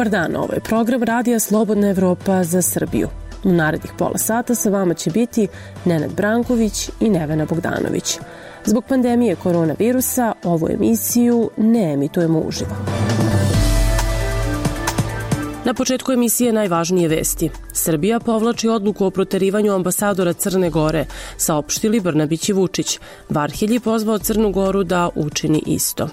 Dobar dan, ovo je program Radija Slobodna Evropa za Srbiju. U narednih pola sata sa vama će biti Nenad Branković i Nevena Bogdanović. Zbog pandemije koronavirusa ovu emisiju ne emitujemo uživo. Na početku emisije najvažnije vesti. Srbija povlači odluku o proterivanju ambasadora Crne Gore, saopštili Brnabić i Vučić. Varhelji pozvao Crnu Goru da učini isto.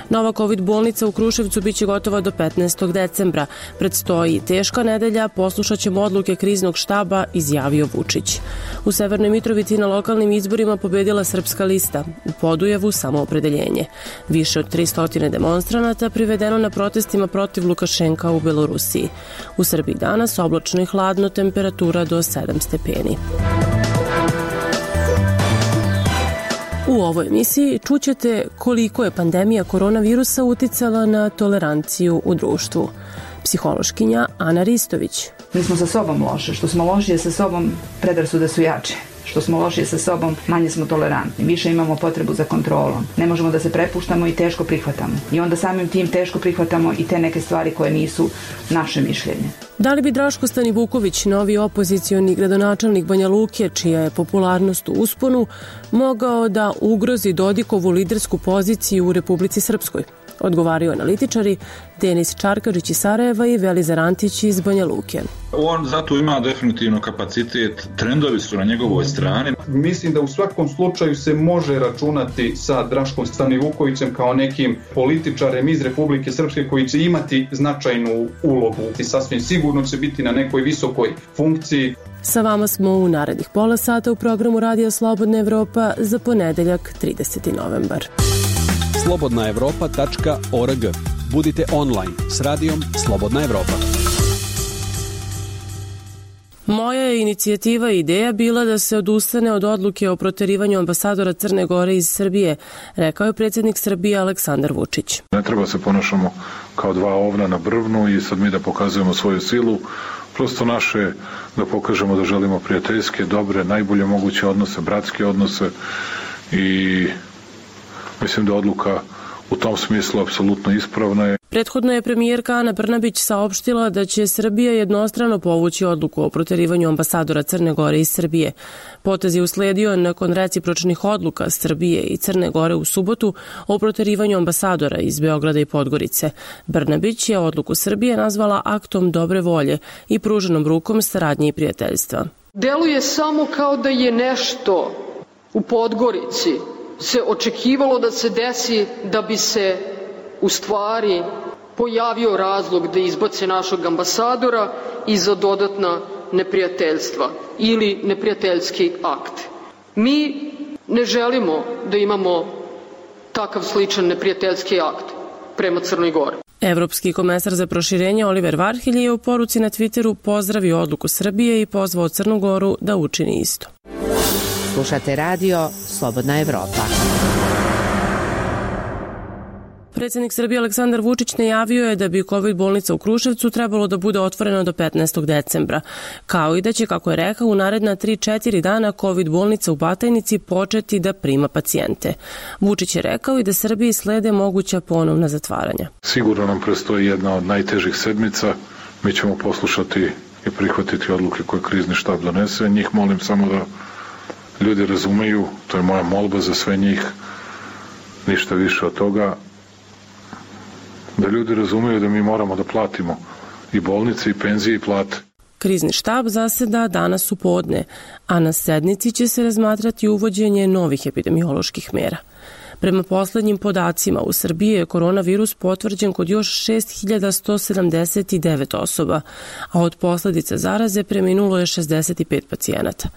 Nova COVID bolnica u Kruševcu biće gotova do 15. decembra. Predstoji teška nedelja, poslušat ćemo odluke kriznog štaba, izjavio Vučić. U Severnoj Mitrovici na lokalnim izborima pobedila Srpska lista. U Podujevu samoopredeljenje. Više od 300 demonstranata privedeno na protestima protiv Lukašenka u Belorusiji. U Srbiji danas oblačno i hladno, temperatura do 7 stepeni. U ovoj emisiji čućete koliko je pandemija koronavirusa uticala na toleranciju u društvu. Psihološkinja Ana Ristović. Mi smo sa sobom loše. Što smo lošije sa sobom, predrasude su jače. Što smo lošije sa sobom, manje smo tolerantni. Više imamo potrebu za kontrolom. Ne možemo da se prepuštamo i teško prihvatamo. I onda samim tim teško prihvatamo i te neke stvari koje nisu naše mišljenje. Da li bi Draško Stanivuković, novi opozicioni gradonačelnik Banja Luke, čija je popularnost u usponu, mogao da ugrozi Dodikovu lidersku poziciju u Republici Srpskoj? Odgovaraju analitičari Denis Čarkažić iz Sarajeva i Velizar Antić iz Banja Luke. On zato ima definitivno kapacitet, trendovi su na njegovoj strani. Mislim da u svakom slučaju se može računati sa Draškom Stanivukovićem kao nekim političarem iz Republike Srpske koji će imati značajnu ulogu i sasvim sigurno će biti na nekoj visokoj funkciji. Sa vama smo u narednih pola sata u programu Radija Slobodna Evropa za ponedeljak 30. novembar. slobodnaevropa.org. Budite online s radijom Slobodna Evropa. Moja je inicijativa i ideja bila da se odustane od odluke o proterivanju ambasadora Crne Gore iz Srbije, rekao je predsjednik Srbije Aleksandar Vučić. Ne treba se ponašamo kao dva ovna na brvnu i sad mi da pokazujemo svoju silu. Prosto naše da pokažemo da želimo prijateljske, dobre, najbolje moguće odnose, bratske odnose i mislim da odluka u tom smislu apsolutno ispravna je. Prethodno je premijerka Ana Brnabić saopštila da će Srbija jednostrano povući odluku o proterivanju ambasadora Crne Gore iz Srbije. Potez je usledio nakon recipročnih odluka Srbije i Crne Gore u subotu o proterivanju ambasadora iz Beograda i Podgorice. Brnabić je odluku Srbije nazvala aktom dobre volje i pruženom rukom saradnje i prijateljstva. Deluje samo kao da je nešto u Podgorici se očekivalo da se desi da bi se u stvari pojavio razlog da izbace našeg ambasadora i za dodatna neprijateljstva ili neprijateljski akt. Mi ne želimo da imamo takav sličan neprijateljski akt prema Crnoj Gori. Evropski komesar za proširenje Oliver Varhelji je u poruci na Twitteru pozdravio odluku Srbije i pozvao Crnu Goru da učini isto. Slušate radio Slobodna Evropa. Predsjednik Srbije Aleksandar Vučić najavio je da bi COVID bolnica u Kruševcu trebalo da bude otvorena do 15. decembra, kao i da će, kako je rekao, u naredna 3-4 dana COVID bolnica u Batajnici početi da prima pacijente. Vučić je rekao i da Srbiji slede moguća ponovna zatvaranja. Sigurno nam prestoji jedna od najtežih sedmica. Mi ćemo poslušati i prihvatiti odluke koje krizni štab donese. Njih molim samo da ljudi razumeju, to je moja molba za sve njih, ništa više od toga, da ljudi razumeju da mi moramo da platimo i bolnice, i penzije, i plate. Krizni štab zaseda danas u podne, a na sednici će se razmatrati uvođenje novih epidemioloških mera. Prema poslednjim podacima, u Srbiji je koronavirus potvrđen kod još 6179 osoba, a od posledica zaraze preminulo je 65 pacijenata.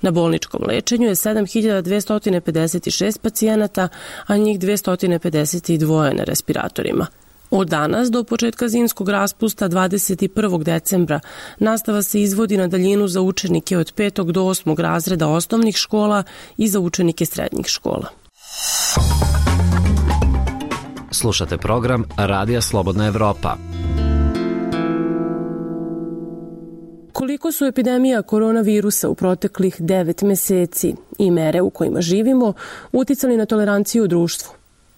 Na bolničkom lečenju je 7256 pacijenata, a njih 252 na respiratorima. Od danas do početka zimskog raspusta 21. decembra nastava se izvodi na daljinu za učenike od 5. do 8. razreda osnovnih škola i za učenike srednjih škola. Slušate program Radija Slobodna Evropa. Koliko su epidemija koronavirusa u proteklih 9 meseci i mere u kojima živimo uticali na toleranciju u društvu?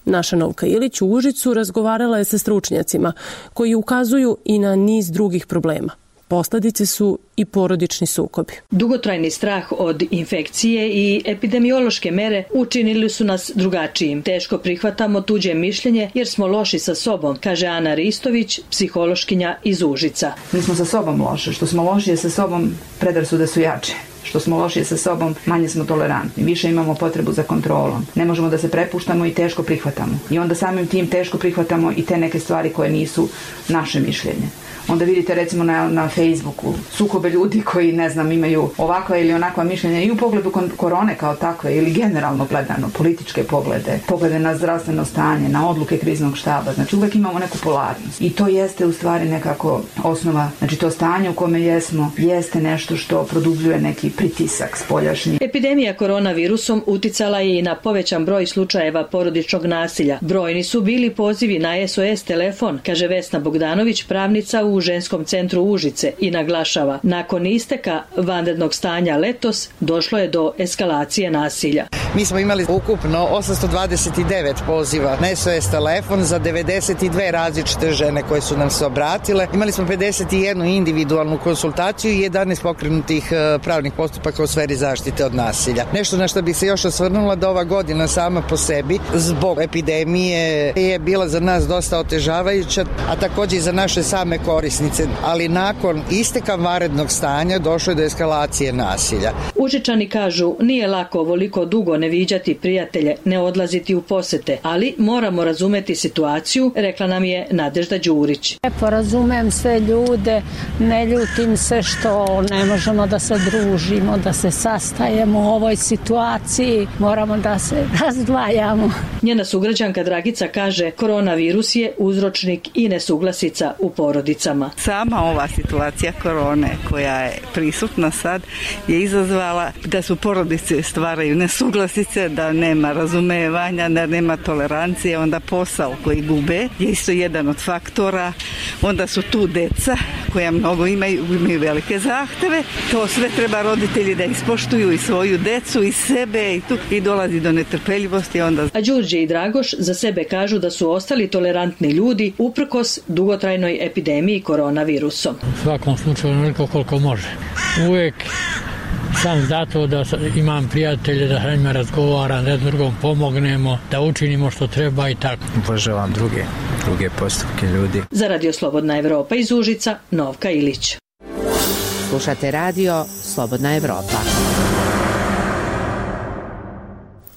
Naša Novka Ilić u Užicu razgovarala je sa stručnjacima koji ukazuju i na niz drugih problema. Posledice su i porodični sukobi. Dugotrajni strah od infekcije i epidemiološke mere učinili su nas drugačijim. Teško prihvatamo tuđe mišljenje jer smo loši sa sobom, kaže Ana Ristović, psihološkinja iz Užica. Mi smo sa sobom loše. Što smo lošije sa sobom, predrasude su jače. Što smo lošije sa sobom, manje smo tolerantni. Više imamo potrebu za kontrolom. Ne možemo da se prepuštamo i teško prihvatamo. I onda samim tim teško prihvatamo i te neke stvari koje nisu naše mišljenje. Onda vidite recimo na Facebooku sukobe ljudi koji, ne znam, imaju ovakva ili onakva mišljenja i u pogledu korone kao takve ili generalno gledano, političke poglede na zdravstveno stanje, na odluke kriznog štaba. Znači uvek imamo neku polarnost. I to jeste u stvari nekako osnova, znači to stanje u kome jesmo, jeste nešto što produbljuje neki pritisak spoljašnji. Epidemija koronavirusom uticala je i na povećan broj slučajeva porodičnog nasilja. Brojni su bili pozivi na SOS telefon, kaže Vesna Bogdanović, pravnica u Ženskom centru Užice, i naglašava, nakon isteka vanrednog stanja letos došlo je do eskalacije nasilja. Mi smo imali ukupno 829 poziva na SOS telefon za 92 različite žene koje su nam se obratile. Imali smo 51 individualnu konsultaciju i 11 pokrenutih pravnih postupaka u sferi zaštite od nasilja. Nešto na što bih se još osvrnula da ova godina sama po sebi zbog epidemije je bila za nas dosta otežavajuća, a takođe i za naše same korisnice, ali nakon isteka vanrednog stanja došlo je do eskalacije nasilja. Užičani kažu, nije lako ovoliko dugo ne viđati prijatelje, ne odlaziti u posete, ali moramo razumeti situaciju, rekla nam je Nadežda Đurić. Razumem sve ljude, ne ljutim se što ne možemo da se družimo, da se sastajemo u ovoj situaciji, moramo da se razdvajamo. Njena sugrađanka Dragica kaže, koronavirus je uzročnik i nesuglasica u porodicama. Sama ova situacija korone koja je prisutna sad je izazvala da su porodice stvaraju nesuglasice, da nema razumevanja, da nema tolerancije, onda posao koji gube je isto jedan od faktora, onda su tu deca koja mnogo imaju velike zahteve, to sve treba roditelji da ispoštuju i svoju decu i sebe i dolazi do netrpeljivosti. A Đurđe i Dragoš za sebe kažu da su ostali tolerantni ljudi uprkos dugotrajnoj epidemiji koronavirusom. U svakom slučaju onoliko koliko može. Uvijek sam zato da imam prijatelje, da sa njima razgovaram, da drugom pomognemo, da učinimo što treba i tako. Uvažavam druge postupke ljudi. Za Radio Slobodna Evropa iz Užica, Novka Ilić. Slušate radio Slobodna Evropa.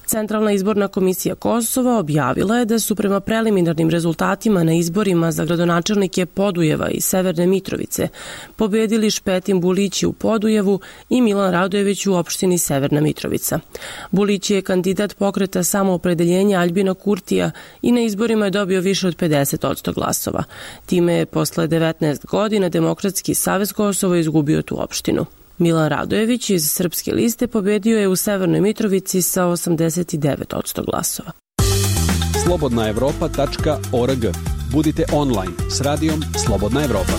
Centralna izborna komisija Kosova objavila je da su prema preliminarnim rezultatima na izborima za gradonačelnike Podujeva i Severne Mitrovice pobedili Špetin Bulići u Podujevu i Milan Radojević u opštini Severna Mitrovica. Bulići je kandidat pokreta Samoopredeljenja Aljbina Kurtija i na izborima je dobio više od 50% glasova. Time je posle 19 godina Demokratski savez Kosova izgubio tu opštinu. Milan Radojević iz Srpske liste pobedio je u Severnoj Mitrovici sa 89% glasova. slobodnaevropa.org. Budite online s radijom Slobodna Evropa.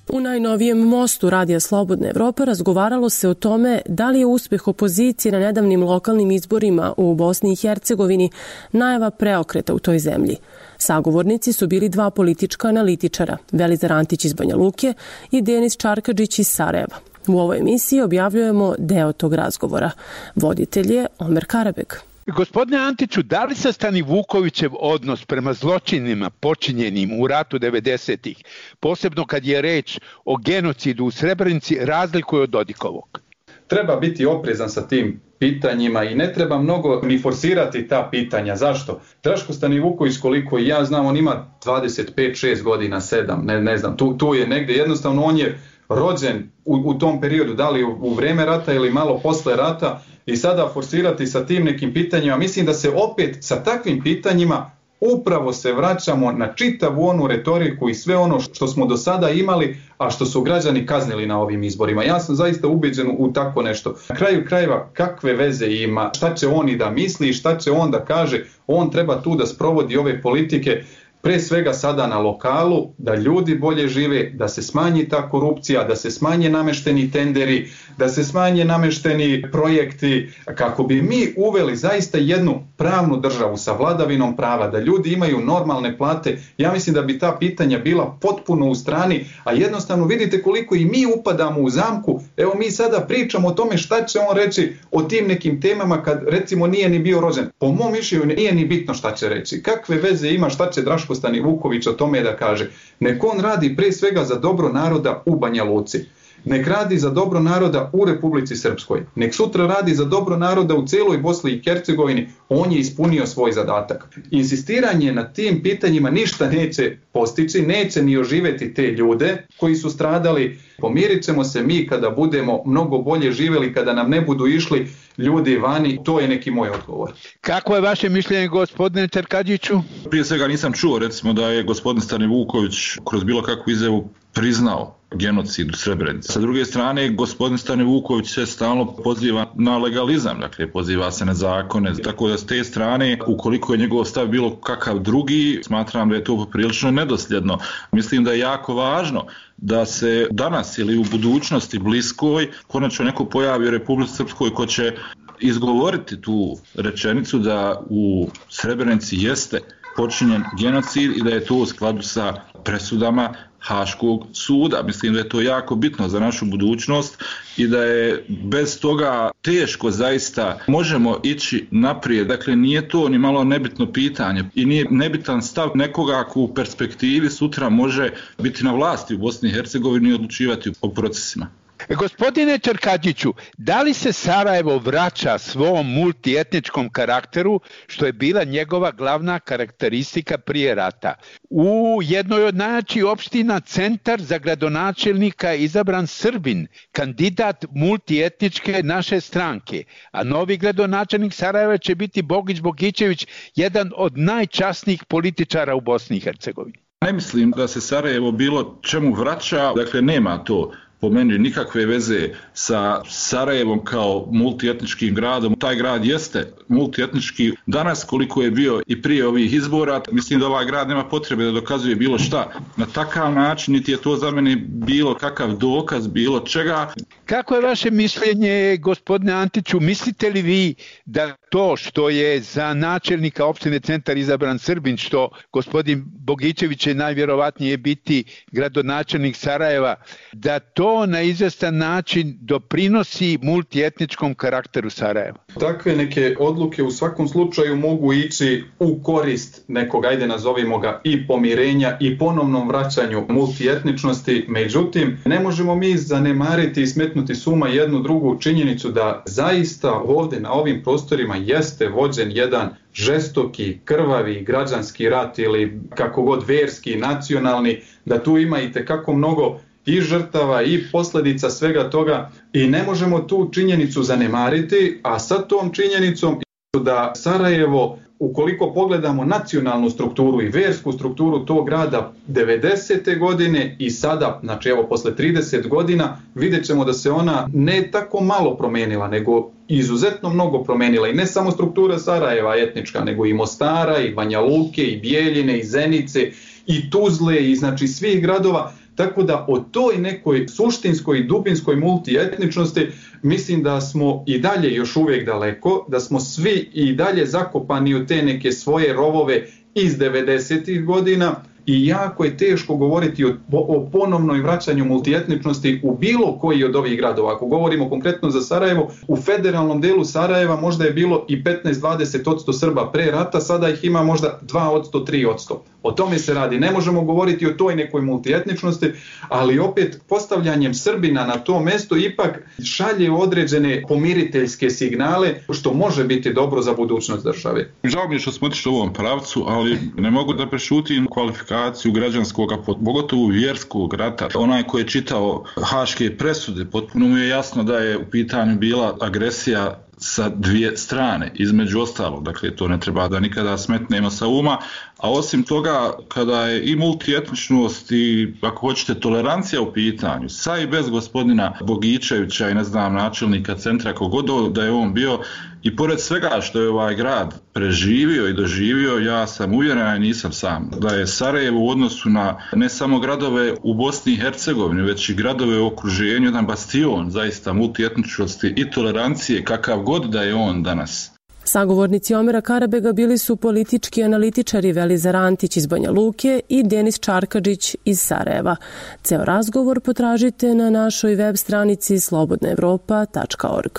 U najnovijem mostu Radija Slobodna Evropa razgovaralo se o tome da li je uspeh opozicije na nedavnim lokalnim izborima u Bosni i Hercegovini najava preokreta u toj zemlji. Sagovornici su bili dva politička analitičara, Velizar Antić iz Banja Luke i Denis Čarkadžić iz Sarajeva. U ovoj emisiji objavljujemo deo tog razgovora. Voditelj je Omer Karabeg. Gospodine Antiću, da li se Stani Vukovićev odnos prema zločinima počinjenim u ratu 90-ih, posebno kad je reč o genocidu u Srebrenici, razlikuje od Dodikovog? Treba biti oprezan sa tim pitanjima i ne treba mnogo ni forsirati ta pitanja. Zašto? Draško Stanivuković, koliko i ja znam, on ima 25-6 godina, 7, ne znam, tu je negde. Jednostavno on je rođen u tom periodu, da li u vreme rata ili malo posle rata, i sada forsirati sa tim nekim pitanjima. Mislim da se opet sa takvim pitanjima upravo se vraćamo na čitavu onu retoriku i sve ono što smo do sada imali, a što su građani kaznili na ovim izborima. Ja sam zaista ubeđen u tako nešto. Na kraju krajeva, kakve veze ima, šta će on i da misli, šta će on da kaže, on treba tu da sprovodi ove politike. pre svega sada na lokalu, da ljudi bolje žive, da se smanji ta korupcija, da se smanje namešteni tenderi, da se smanje namešteni projekti, kako bi mi uveli zaista jednu pravnu državu sa vladavinom prava, da ljudi imaju normalne plate. Ja mislim da bi ta pitanja bila potpuno u strani, a jednostavno vidite koliko i mi upadamo u zamku. Evo mi sada pričamo o tome šta će on reći o tim nekim temama kad recimo nije ni bio rođen. Po mom mišljenju nije ni bitno šta će reći. Kakve veze ima šta će Draško Stanivuković o tome da kaže? Nek on radi pre svega za dobro naroda u Banja Luci. Nek radi za dobro naroda u Republici Srpskoj. Nek sutra radi za dobro naroda u celoj Bosni i Hercegovini. On je ispunio svoj zadatak. Insistiranje na tim pitanjima ništa neće postići, neće ni oživeti te ljude koji su stradali. Pomirit ćemo se mi kada budemo mnogo bolje živjeli, kada nam ne budu išli ljudi vani. To je neki moj odgovor. Kako je vaše mišljenje, gospodine Čerkadžiću? Prije svega nisam čuo recimo da je gospodin Stanivuković kroz bilo kakvu izjavu priznao genocid u Srebrenici. Sa druge strane, gospodin Stanivuković se stalno poziva na legalizam, dakle poziva se na zakone, tako da s te strane, ukoliko je njegov stav bilo kakav drugi, smatram da je to poprilično nedosljedno. Mislim da je jako važno da se danas ili u budućnosti bliskoj konačno neko pojavi u Republici Srpskoj ko će izgovoriti tu rečenicu da u Srebrenici jeste počinjen genocid i da je to u skladu sa presudama Haškog suda. Mislim da je to jako bitno za našu budućnost i da je bez toga teško zaista možemo ići naprijed. Dakle, nije to ni malo nebitno pitanje i nije nebitan stav nekoga ko u perspektivi sutra može biti na vlasti u Bosni i Hercegovini i odlučivati o procesima. Gospodine Čerkadžiću, da li se Sarajevo vraća svom multietničkom karakteru, što je bila njegova glavna karakteristika prije rata? U jednoj od najjačih opština centar za gradonačelnika izabran Srbin, kandidat multietničke naše stranke, a novi gradonačelnik Sarajeva će biti Bogić Bogićević, jedan od najčasnijih političara u Bosni i Hercegovini. Ne mislim da se Sarajevo bilo čemu vraća, dakle nema to po meni nikakve veze sa Sarajevom kao multietničkim gradom. Taj grad jeste multietnički danas koliko je bio i prije ovih izbora. Mislim da ovaj grad nema potrebe da dokazuje bilo šta na takav način, niti je to za mene bilo kakav dokaz bilo čega. Kako je vaše mišljenje, gospodine Antiću? Mislite li vi da to što je za načelnika opštine centar izabran Srbin, što gospodin Bogićević će najvjerovatnije biti gradonačelnik Sarajeva, da to na izvestan način doprinosi multietničkom karakteru Sarajeva? Takve neke odluke u svakom slučaju mogu ići u korist nekog, ajde nazovimo ga, i pomirenja i ponovnom vraćanju multietničnosti. Međutim, ne možemo mi zanemariti i smetnuti suma jednu drugu činjenicu da zaista ovdje na ovim prostorima jeste vođen jedan žestoki, krvavi građanski rat ili kako god verski, nacionalni, da tu ima i tekako mnogo i žrtava i posljedica svega toga i ne možemo tu činjenicu zanemariti, a sa tom činjenicom da Sarajevo, ukoliko pogledamo nacionalnu strukturu i versku strukturu tog grada 90. godine i sada, znači evo posle 30 godina, vidjet ćemo da se ona ne tako malo promenila, nego izuzetno mnogo promenila i ne samo struktura Sarajeva etnička, nego i Mostara, i Banja Luke, i Bijeljine, i Zenice, i Tuzle, i znači svih gradova. Tako da o toj nekoj suštinskoj i dubinskoj multietničnosti mislim da smo i dalje još uvijek daleko, da smo svi i dalje zakopani u te neke svoje rovove iz 90. godina i jako je teško govoriti o ponovnoj vraćanju multietničnosti u bilo koji od ovih gradova. Ako govorimo konkretno za Sarajevo, u federalnom delu Sarajeva možda je bilo i 15-20% Srba pre rata, sada ih ima možda 2%, 3%. O tome se radi. Ne možemo govoriti o toj nekoj multietničnosti, ali opet postavljanjem Srbina na to mesto ipak šalje određene pomiriteljske signale, što može biti dobro za budućnost države. Žao mi je što smo otišli u ovom pravcu, ali ne mogu da prešutim kvalifikaciju građanskog, pogotovo vjerskog rata. Onaj koji je čitao haške presude, potpuno mu je jasno da je u pitanju bila agresija sa dvije strane, između ostalog. Dakle, to ne treba da nikada smetnemo sa uma. A osim toga, kada je i multietničnost i, ako hoćete, tolerancija u pitanju, sa i bez gospodina Bogićevića i, ne znam, načelnika centra, kogod da je on bio, i pored svega što je ovaj grad preživio i doživio, ja sam uvjeren, a nisam sam, da je Sarajevo u odnosu na ne samo gradove u Bosni i Hercegovini, već i gradove u okruženju, jedan bastion zaista multietničnosti i tolerancije, kakav god da je on danas. Sagovornici Omera Karabega bili su politički analitičari Velizar Antić iz Banja Luke i Denis Čarkadžić iz Sarajeva. Ceo razgovor potražite na našoj web stranici slobodnaevropa.org.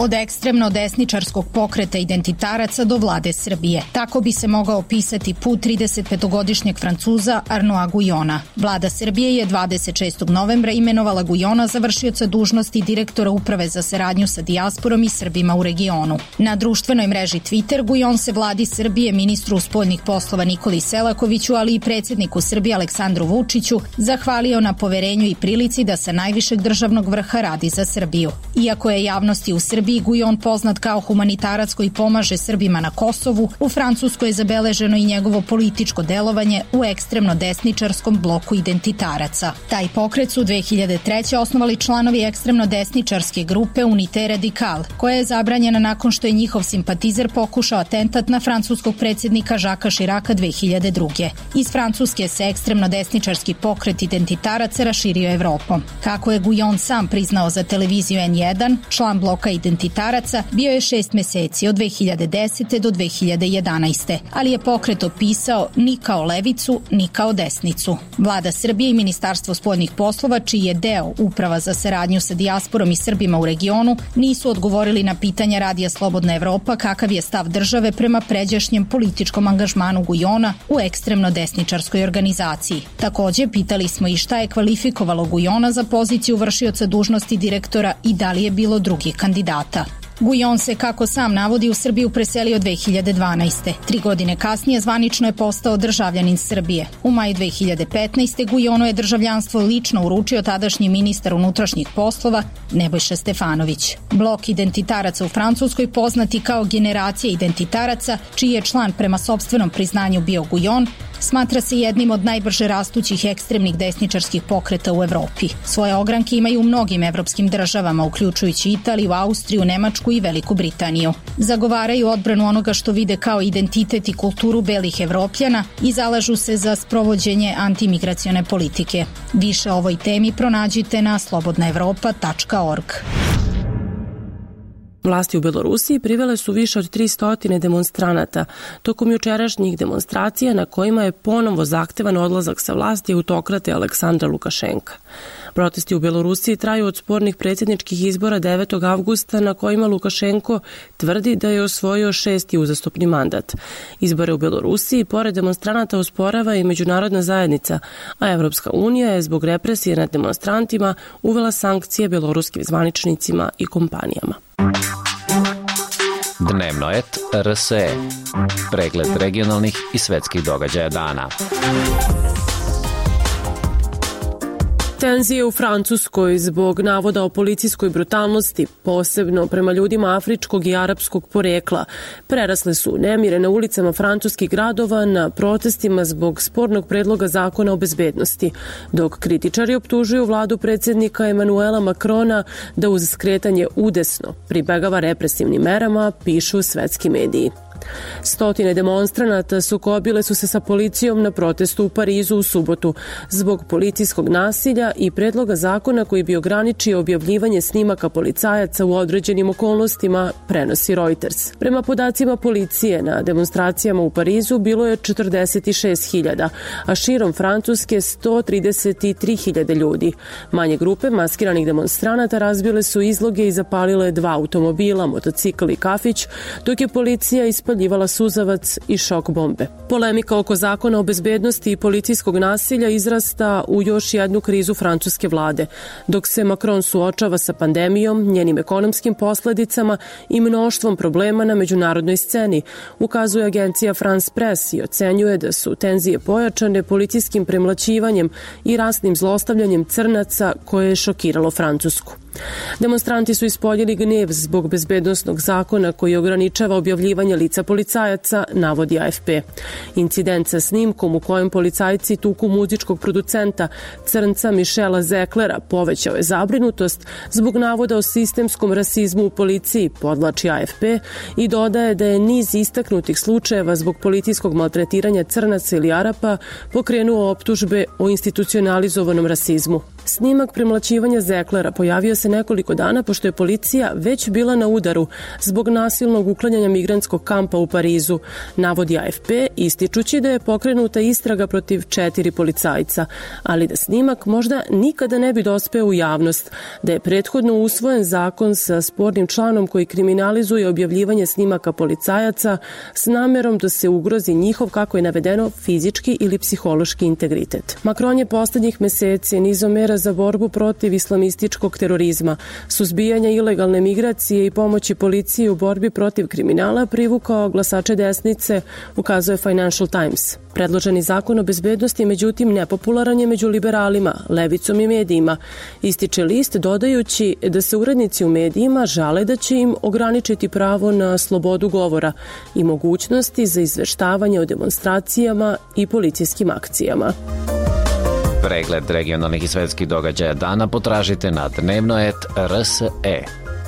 Od ekstremno desničarskog pokreta identitaraca do vlade Srbije. Tako bi se mogao opisati put 35-godišnjeg Francuza Arnaud Guyona. Vlada Srbije je 26. novembra imenovala Guyona za vršioca dužnosti direktora Uprave za saradnju sa dijasporom i Srbima u regionu. Na društvenoj mreži Twitter Guyon se vladi Srbije, ministru spoljnih poslova Nikoli Selakoviću, ali i predsjedniku Srbije Aleksandru Vučiću, zahvalio na poverenju i prilici da sa najvišeg državnog vrha radi za Srbiju. Iako je javnosti u Srbiji Guyon poznat kao humanitarac koji pomaže Srbima na Kosovu, u Francuskoj je zabeleženo i njegovo političko delovanje u ekstremno desničarskom bloku identitaraca. Taj pokret su 2003. osnovali članovi ekstremno desničarske grupe Unité Radical, koja je zabranjena nakon što je njihov simpatizer pokušao atentat na francuskog predsjednika Žaka Širaka 2002. Iz Francuske se ekstremno desničarski pokret identitaraca raširio Evropom. Kako je Guyon sam priznao za televiziju N1, član bloka identitaraca bio je 6 meseci od 2010. do 2011. Ali je pokret opisao ni kao levicu, ni kao desnicu. Vlada Srbije i Ministarstvo spoljnih poslova, čiji je deo Uprava za saradnju sa dijasporom i Srbima u regionu, nisu odgovorili na pitanja Radija Slobodna Evropa kakav je stav države prema pređašnjem političkom angažmanu Guyona u ekstremno desničarskoj organizaciji. Takođe, pitali smo i šta je kvalifikovalo Guyona za poziciju vršioca dužnosti direktora i da li je bilo drugih kandidata. Guyon se, kako sam navodi, u Srbiju preselio 2012. 3 godine kasnije zvanično je postao državljanin Srbije. U maju 2015. Guyonu je državljanstvo lično uručio tadašnji ministar unutrašnjih poslova Nebojša Stefanović. Blok identitaraca u Francuskoj, poznati kao generacija identitaraca, čiji je član prema sopstvenom priznanju bio Guyon, smatra se jednim od najbrže rastućih ekstremnih desničarskih pokreta u Evropi. Svoje ogranke imaju u mnogim evropskim državama, uključujući Italiju, Austriju, Nemačku i Veliku Britaniju. Zagovaraju odbranu onoga što vide kao identitet i kulturu belih Evropljana i zalažu se za sprovođenje antimigracione politike. Više o ovoj temi pronađite na slobodnaevropa.org. Vlasti u Belorusiji privele su više od 300 demonstranata tokom jučerašnjih demonstracija na kojima je ponovo zahtevan odlazak sa vlasti autokrate Aleksandra Lukašenka. Protesti u Belorusiji traju od spornih predsjedničkih izbora 9. avgusta na kojima Lukašenko tvrdi da je osvojio 6. uzastopni mandat. Izbore u Belorusiji pored demonstranata osporava i međunarodna zajednica, a Evropska unija je zbog represije nad demonstrantima uvela sankcije beloruskim zvaničnicima i kompanijama. Dnevnoet RSE. Pregled regionalnih i svetskih događaja dana. Tenzije u Francuskoj zbog navoda o policijskoj brutalnosti, posebno prema ljudima afričkog i arapskog porekla, prerasle su nemire na ulicama francuskih gradova na protestima zbog spornog predloga zakona o bezbednosti, dok kritičari optužuju vladu predsjednika Emanuela Makrona da uz skretanje udesno pribegava represivnim merama, pišu svetski mediji. Stotine demonstranata sukobile su se sa policijom na protestu u Parizu u subotu zbog policijskog nasilja i predloga zakona koji bi ograničio objavljivanje snimaka policajaca u određenim okolnostima, prenosi Reuters. Prema podacima policije, na demonstracijama u Parizu bilo je 46.000, a širom Francuske 133.000 ljudi. Manje grupe maskiranih demonstranata razbile su izloge i zapalile 2 automobila, motocikl i kafić, dok je policija ispaljala ispaljivala suzavac i šok bombe. Polemika oko zakona o bezbednosti i policijskog nasilja izrasta u još jednu krizu francuske vlade. Dok se Macron suočava sa pandemijom, njenim ekonomskim posledicama i mnoštvom problema na međunarodnoj sceni, ukazuje agencija France Press i ocenjuje da su tenzije pojačane policijskim premlaćivanjem i rasnim zlostavljanjem crnaca koje je šokiralo Francusku. Demonstranti su ispoljili gnev zbog bezbednosnog zakona koji ograničava objavljivanje lica policajaca, navodi AFP. Incident sa snimkom u kojem policajci tuku muzičkog producenta crnca Michela Zeklera povećao je zabrinutost zbog navoda o sistemskom rasizmu u policiji, podvlači AFP, i dodaje da je niz istaknutih slučajeva zbog policijskog maltretiranja crnaca ili Arapa pokrenuo optužbe o institucionalizovanom rasizmu. Snimak premlaćivanja Zeklera pojavio se nekoliko dana pošto je policija već bila na udaru zbog nasilnog uklanjanja migrantskog kampa u Parizu, navodi AFP, ističući da je pokrenuta istraga protiv 4 policajca, ali da snimak možda nikada ne bi dospeo u javnost, da je prethodno usvojen zakon sa spornim članom koji kriminalizuje objavljivanje snimaka policajaca s namerom da se ugrozi njihov, kako je navedeno, fizički ili psihološki integritet. Macron je poslednjih meseci nizom mera za borbu protiv islamističkog terorizma, suzbijanja ilegalne migracije i pomoći policiji u borbi protiv kriminala privukao glasače desnice, ukazuje Financial Times. Predloženi zakon o bezbednosti, međutim, nepopularan je među liberalima, levicom i medijima, ističe list dodajući da se urednici u medijima žale da će im ograničiti pravo na slobodu govora i mogućnosti za izveštavanje o demonstracijama i policijskim akcijama. Pregled regionalnih i svetskih događaja dana potražite na dnevnoet.rse.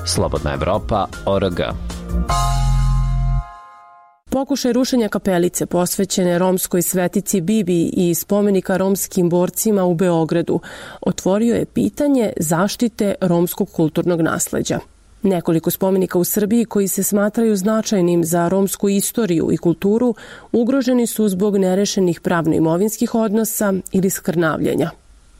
Slobodna Evropa.org. Pokušaj rušenja kapelice posvećene romskoj svetici Bibi i spomenika romskim borcima u Beogradu otvorio je pitanje zaštite romskog kulturnog nasleđa. Nekoliko spomenika u Srbiji koji se smatraju značajnim za romsku istoriju i kulturu ugroženi su zbog nerešenih pravno-imovinskih odnosa ili skrnavljenja.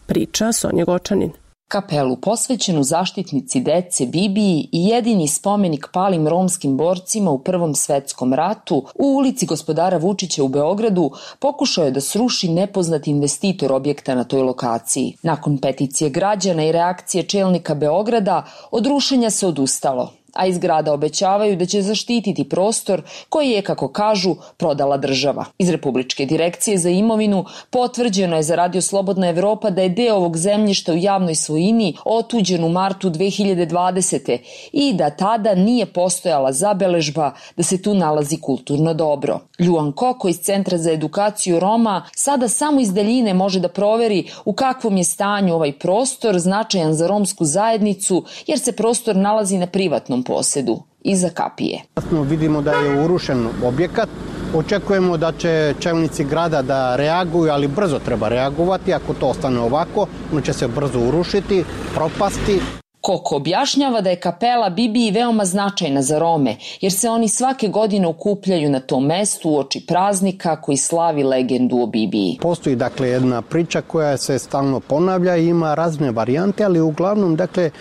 Priča Sonja Gočanin. Kapelu posvećenu zaštitnici dece Bibiji i jedini spomenik palim romskim borcima u Prvom svetskom ratu u ulici Gospodara Vučića u Beogradu pokušao je da sruši nepoznat investitor objekta na toj lokaciji. Nakon peticije građana i reakcije čelnika Beograda, od rušenja se odustalo, a iz grada obećavaju da će zaštititi prostor koji je, kako kažu, prodala država. Iz Republičke direkcije za imovinu potvrđeno je za Radio Slobodna Evropa da je deo ovog zemljišta u javnoj svojini otuđen u martu 2020. i da tada nije postojala zabeležba da se tu nalazi kulturno dobro. Ljuan Koko iz Centra za edukaciju Roma sada samo iz daljine može da proveri u kakvom je stanju ovaj prostor značajan za romsku zajednicu, jer se prostor nalazi na privatnom posedu, iza kapije. Vidimo da je urušen objekat. Očekujemo da će čelnici grada da reaguju, ali brzo treba reagovati. Ako to ostane ovako, ono će se brzo urušiti, propasti. Koko objašnjava da je kapela Bibiji veoma značajna za Rome, jer se oni svake godine okupljaju na tom mestu uoči praznika koji slavi legendu o Bibiji. Postoji dakle jedna priča koja se stalno ponavlja i ima razne varijante, ali uglavnom dakle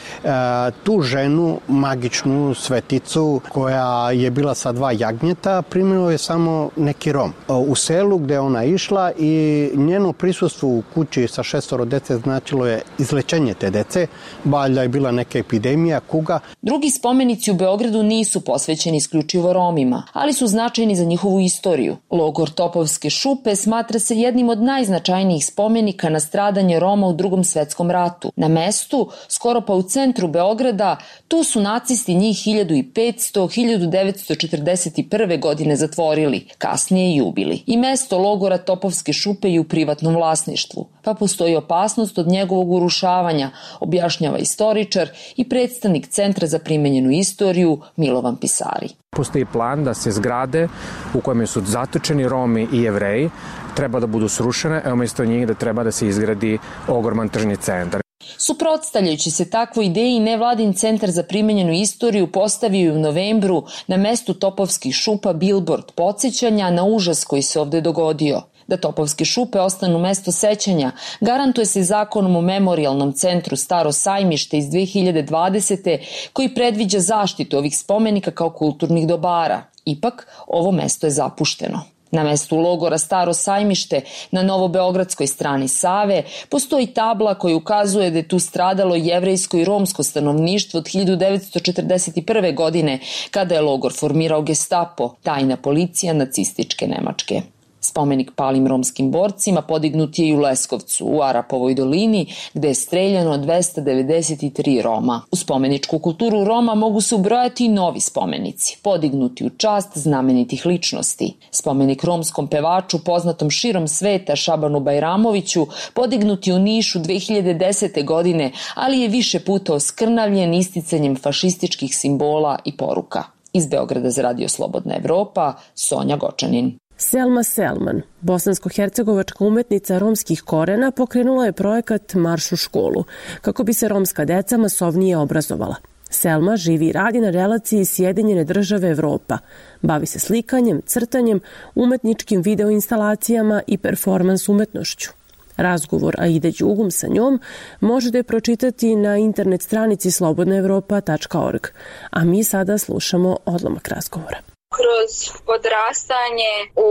tu ženu, magičnu sveticu koja je bila sa 2 jagnjeta, primio je samo neki Rom. U selu gde ona išla i njeno prisustvo u kući sa 6 dece značilo je izlečenje te dece, valjda je bila neka epidemija, kuga. Drugi spomenici u Beogradu nisu posvećeni isključivo Romima, ali su značajni za njihovu istoriju. Logor Topovske šupe smatra se jednim od najznačajnijih spomenika na stradanje Roma u Drugom svetskom ratu. Na mestu, skoro pa u centru Beograda, tu su nacisti njih 1500-1941. godine zatvorili, kasnije i ubili. I mesto logora Topovske šupe je u privatnom vlasništvu, pa postoji opasnost od njegovog urušavanja, objašnjava istoričar i predstavnik Centra za primenjenu istoriju Milovan Pisari. Postoji plan da se zgrade u kojima su zatočeni Romi i Jevreji treba da budu srušene, a umjesto njih da treba da se izgradi ogroman tržni centar. Suprotstavljajući se takvoj ideji, nevladin Centar za primenjenu istoriju postavio je u novembru na mestu Topovskih šupa bilbord podsjećanja na užas koji se ovde dogodio. Da Topovske šupe ostanu mesto sećanja garantuje se zakonom o memorijalnom centru Staro sajmište iz 2020. koji predviđa zaštitu ovih spomenika kao kulturnih dobara. Ipak, ovo mesto je zapušteno. Na mestu logora Staro sajmište na Novobeogradskoj strani Save postoji tabla koja ukazuje da je tu stradalo jevrejsko i romsko stanovništvo od 1941. godine, kada je logor formirao Gestapo, tajna policija nacističke Nemačke. Spomenik palim romskim borcima podignut je i u Leskovcu, u Arapovoj dolini, gde je streljano 293 Roma. U spomeničku kulturu Roma mogu se ubrojati i novi spomenici, podignuti u čast znamenitih ličnosti. Spomenik romskom pevaču poznatom širom sveta Šabanu Bajramoviću podignut je u Nišu 2010. godine, ali je više puta oskrnavljen isticanjem fašističkih simbola i poruka. Iz Beograda za Radio Slobodna Evropa, Sonja Gočanin. Selma Selman, bosansko-hercegovačka umetnica romskih korena, pokrenula je projekat Marš u školu, kako bi se romska deca masovnije obrazovala. Selma živi i radi na relaciji Sjedinjene države Evropa. Bavi se slikanjem, crtanjem, umetničkim videoinstalacijama i performans umetnošću. Razgovor Aide Đugum sa njom možete pročitati na internet stranici slobodnaevropa.org, a mi sada slušamo odlomak razgovora. Kroz odrastanje u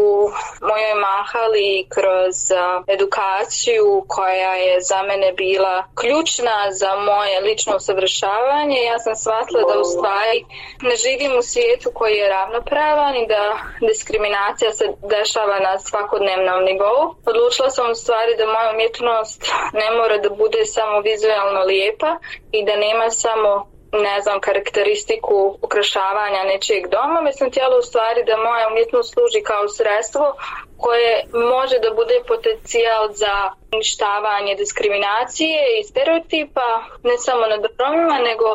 mojoj mahali, kroz edukaciju koja je za mene bila ključna za moje lično usavršavanje, ja sam shvatila da u stvari ne živim u svijetu koji je ravnopravan i da diskriminacija se dešava na svakodnevnom nivou. Odlučila sam u stvari da moja umjetnost ne mora da bude samo vizualno lijepa i da nema samo karakteristiku ukrašavanja nečijeg doma. Mislim, htjela u stvari da moja umjetnost služi kao sredstvo koje može da bude potencijal za uništavanje diskriminacije i stereotipa, ne samo nad Romima, nego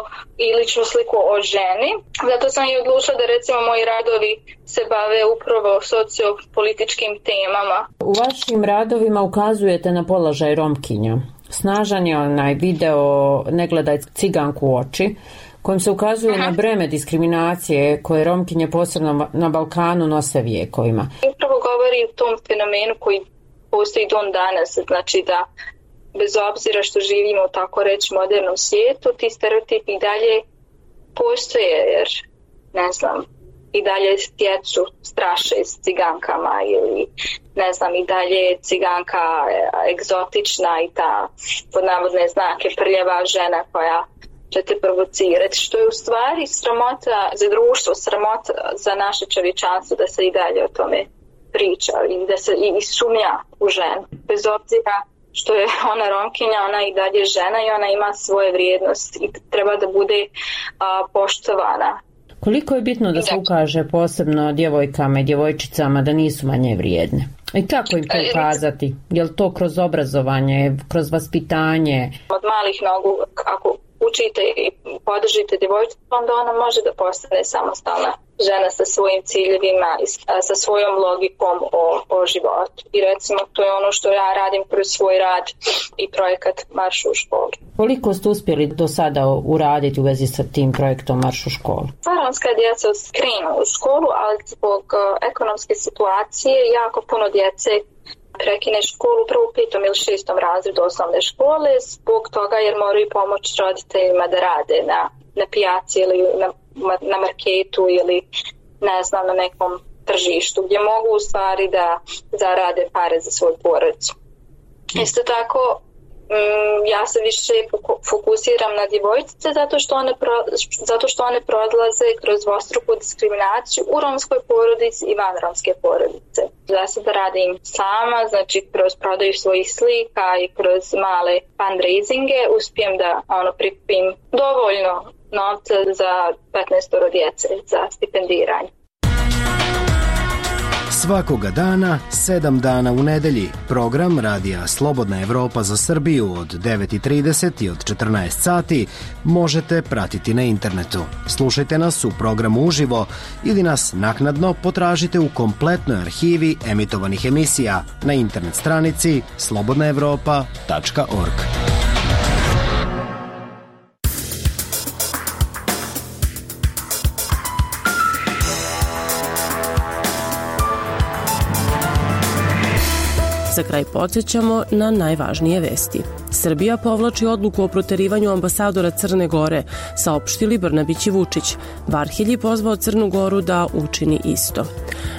i ličnu sliku o ženi. Zato sam i odlučila da recimo moji radovi se bave upravo sociopolitičkim temama. U vašim radovima ukazujete na položaj Romkinja. Snažan je onaj video Ne gledaj ciganku u oči, kojim se ukazuje na breme diskriminacije koje Romkinje posebno na Balkanu nose vijekovima. Upravo govori o tom fenomenu koji postoji do danas, znači da bez obzira što živimo u tako reći modernom svijetu, ti stereotipi i dalje postoje, jer i dalje djecu straše s cigankama ili i dalje je ciganka egzotična i ta pod navodne znake prljava žena koja će te provocirati, što je u stvari sramota za društvo, sramota za naše čovječanstvo da se i dalje o tome priča i da se i sumnja u ženu. Bez obzira što je ona Romkinja, ona i dalje žena i ona ima svoje vrijednosti i treba da bude poštovana. Koliko je bitno da se ukaže posebno djevojkama i djevojčicama da nisu manje vrijedne? I kako im to ukazati? Je li to kroz obrazovanje, kroz vaspitanje? Od malih nogu, ako učite i podržite djevojčicu, onda ona može da postane samostalna žena sa svojim ciljevima i sa svojom logikom o životu. I recimo to je ono što ja radim kroz svoj rad i projekat Marš u školu. Koliko ste uspjeli do sada uraditi u vezi sa tim projektom Marš u školu? Romska djeca krenu u školu, ali zbog ekonomske situacije jako puno djece prekine školu prvo u 5. ili 6. razredu osnovne škole zbog toga jer moraju pomoći roditeljima da rade na pijaci ili na marketu ili na nekom tržištu gdje mogu u stvari da zarade pare za svoju porodicu. Isto tako ja se više fokusiram na djevojčice zato što one prolaze kroz dvostruku diskriminaciju u romskoj porodici i van romske porodice. Ja se da radim sama, znači kroz prodaju svojih slika i kroz male fundraisinge uspijem da prikupim dovoljno novca za 15 djece za stipendiranje. Svakoga dana, 7 dana u nedelji, program Radija Slobodna Evropa za Srbiju od 9:30 i od 14 sati možete pratiti na internetu. Slušajte nas u programu uživo ili nas naknadno potražite u kompletnoj arhivi emitovanih emisija na internet stranici slobodnaevropa.org. Za kraj podsjećamo na najvažnije vesti. Srbija povlači odluku o proterivanju ambasadora Crne Gore, saopštili Brnabić i Vučić. Varhelji pozvao Crnu Goru da učini isto.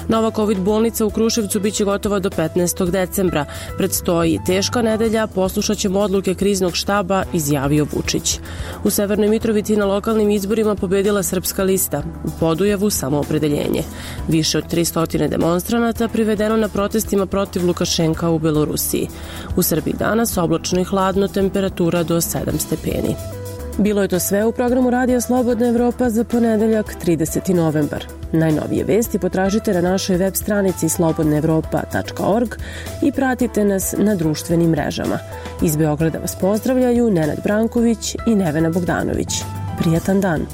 Nova COVID bolnica u Kruševcu biće gotova do 15. decembra. Predstoji teška nedelja, poslušat ćemo odluke kriznog štaba, izjavio Vučić. U Severnoj Mitrovici na lokalnim izborima pobedila Srpska lista. U Podujevu samoopredeljenje. Više od 300 demonstranata privedeno na protestima protiv Lukašenka u Belorusiji. U Srbiji danas oblačno i hladno, temperatura do 7 stepeni. Bilo je to sve u programu Radija Slobodna Evropa za ponedeljak 30. novembar. Najnovije vesti potražite na našoj web stranici slobodnaevropa.org i pratite nas na društvenim mrežama. Iz Beograda vas pozdravljaju Nenad Branković i Nevena Bogdanović. Prijatan dan!